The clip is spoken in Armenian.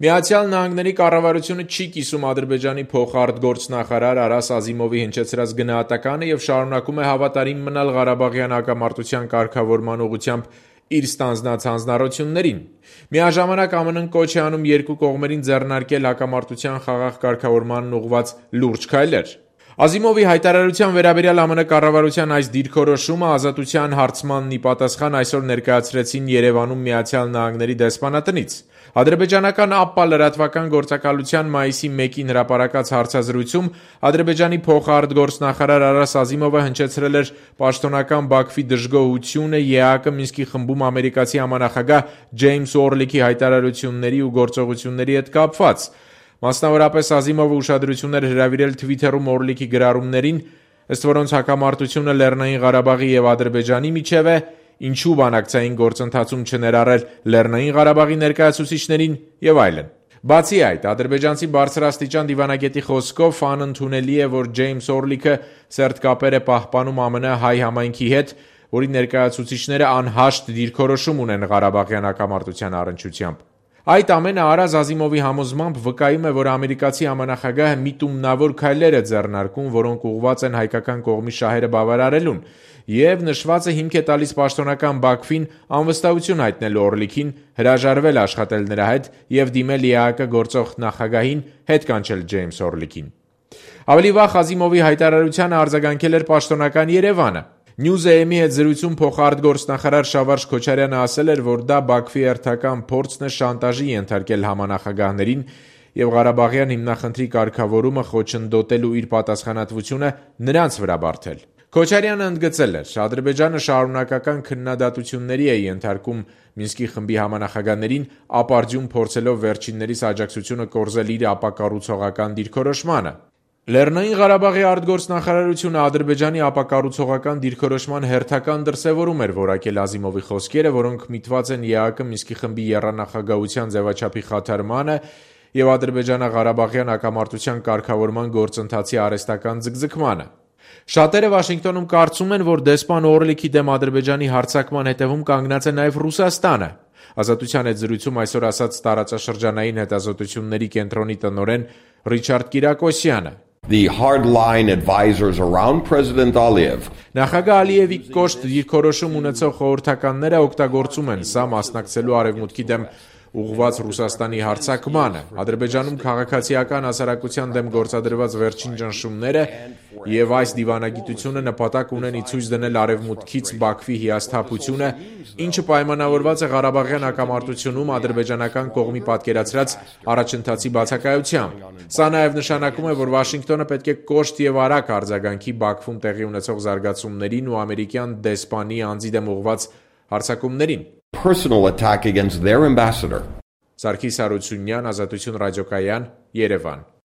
Միացյալ Նահանգների կառավարությունը չի կիսում Ադրբեջանի փոխարտգործնախարար Արաս Ազիմովի հնչեցրած գնահատականը և շարունակում է հավատարիմ մնալ Ղարաբաղյան հակամարտության կարգավորման ուղղությամբ իր ստանձնած հանձնառություններին։ Միաժամանակ ԱՄՆ-ն կոչ է անում երկու կողմերին ձեռնարկել հակամարտության խաղաղ կարգավորմանն ուղղված լուրջ քայլեր։ Ազիմովի հայտարարության վերաբերյալ ԱՄՆ կառավարության այս դիրքորոշումը ազատության հարցմանն ի պատասխան այսօր ներկայացրեցին Երևանում Միացյալ Նահանգների դեսպանատնից։ Ադրբեջանական ԱՊՊԱ լրատվական գործակալության մայիսի 1-ին հրապարակած հարցազրույցում Ադրբեջանի փոխարտգործնախարար Արաս Ազիմովը հնչեցրել էր պաշտոնական Բաքվի դժգոհությունը ԵԱՀԿ Մինսկի խմբում ամերիկացի համանախագահ Ջեյմս Օրլիքի հայտարարությունների ու գործողությունների հետ կապված։ Մասնավորապես Ազիմովը ուշադրություն էր հրավիրել Թվիթերում Օրլիքի գրառումներին, ըստ որոնց հակամարտությունը Լեռնային Ղարաբաղի և Ադրբեջանի միջև է, ինչու բանակցային գործընթացում չներառել Լեռնային Ղարաբաղի ներկայացուցիչներին և այլն։ Բացի այդ, ադրբեջանցի բարձրաստիճան դիվանագետի խոսքով անընդունելի է, որ Ջեյմս Օրլիքը սերտ կապեր է պահպանում ԱՄՆ հայ համայնքի հետ, որի ներկայացուցիչները անհաշտ դիրքորոշում ունեն Ղարաբաղյան հակամարտության առնչությամբ։ Այդ ամենը Արաս Ազիմովի համոզմամբ վկայում է, որ ամերիկացի համանախագահը միտումնավոր քայլեր է ձեռնարկում, որոնք ուղղված են հայկական կողմի շահերը բավարարելուն, և նշվածը հիմք է տալիս պաշտոնական Բաքվին անվստահություն հայտնելու Օրլիքին, հրաժարվել աշխատել նրա հետ և դիմել ԵԱՀԿ գործող նախագահին հետ կանչել Ջեյմս Օրլիքին։ Ավելի վաղ Ազիմովի հայտարարությանը արձագանքել էր պաշտոնական Երևանը։ Նյուզ-AM-ի հետ զրույցում փոխարտգործնախարար Շավարշ Քոչարյանը ասել էր, որ դա Բաքվի հերթական փորձն է շանտաժի ենթարկել համանախագահներին և Ղարաբաղյան հիմնախնդրի կարգավորումը խոչընդոտելու իր պատասխանատվությունը նրանց վրա բարդել։ Քոչարյանը ընդգծել էր. Ադրբեջանը շարունակական քննադատությունների է ենթարկում Մինսկի խմբի համանախագահներին, ապարդյուն փորձելով վերջիններիս աջակցությունը կորզել իր ապակառուցողական դիրքորոշմանը։ Լեռնային Ղարաբաղի արտգործնախարարությունը Ադրբեջանի ապակառուցողական դիրքորոշման հերթական դրսևորում էր որակել Ազիմովի խոսքերը, որոնք միտված են ԵԱՀԿ Մինսկի խմբի եռանախագահության ձևաչափի խաթարմանը և Ադրբեջանա-Ղարաբաղյան հակամարտության կարգավորման գործընթացի արհեստական ձգձգմանը։ Շատերը Վաշինգտոնում կարծում են, որ դեսպան Օրլիքի դեմ Ադրբեջանի հարձակման հետևում կանգնած է նաև Ռուսաստանը։ Ազատության հետ զրույցում այսօր ասաց տարածաշրջանային հետազոտությունների կենտրոնի տնօրեն Ռիչարդ Կիրակոսյանը։ The hardline advisors around President Aliyev. Նախագահ Ալիևի կոշտ դիրքորոշում ունեցող խորհրդականները օգտագործում են սա մասնակցելու արևմուտքի դեմ ուղղված Ռուսաստանի հարձակմանը, Ադրբեջանում քաղաքացիական հասարակության դեմ գործադրված վերջին ճնշումները և այս դիվանագիտությունը նպատակ ունեն ի ցույց դնել արևմուտքից Բաքվի հիասթափությունը, ինչը պայմանավորված է Ղարաբաղյան հակամարտությունում ադրբեջանական կողմի պատկերացրած առաջընթացի բացակայությամբ։ Սա նաև նշանակում է, որ Վաշինգտոնը պետք է կոշտ և արագ արձագանքի Բաքվում տեղի ունեցող զարգացումներին ու ամերիկյան դեսպանի անձի դեմ ուղղված հարձակումներին։ Personal attack against their ambassador. Սարգիս Հարությունյան, Ազատություն ռադիոկայան, Երևան։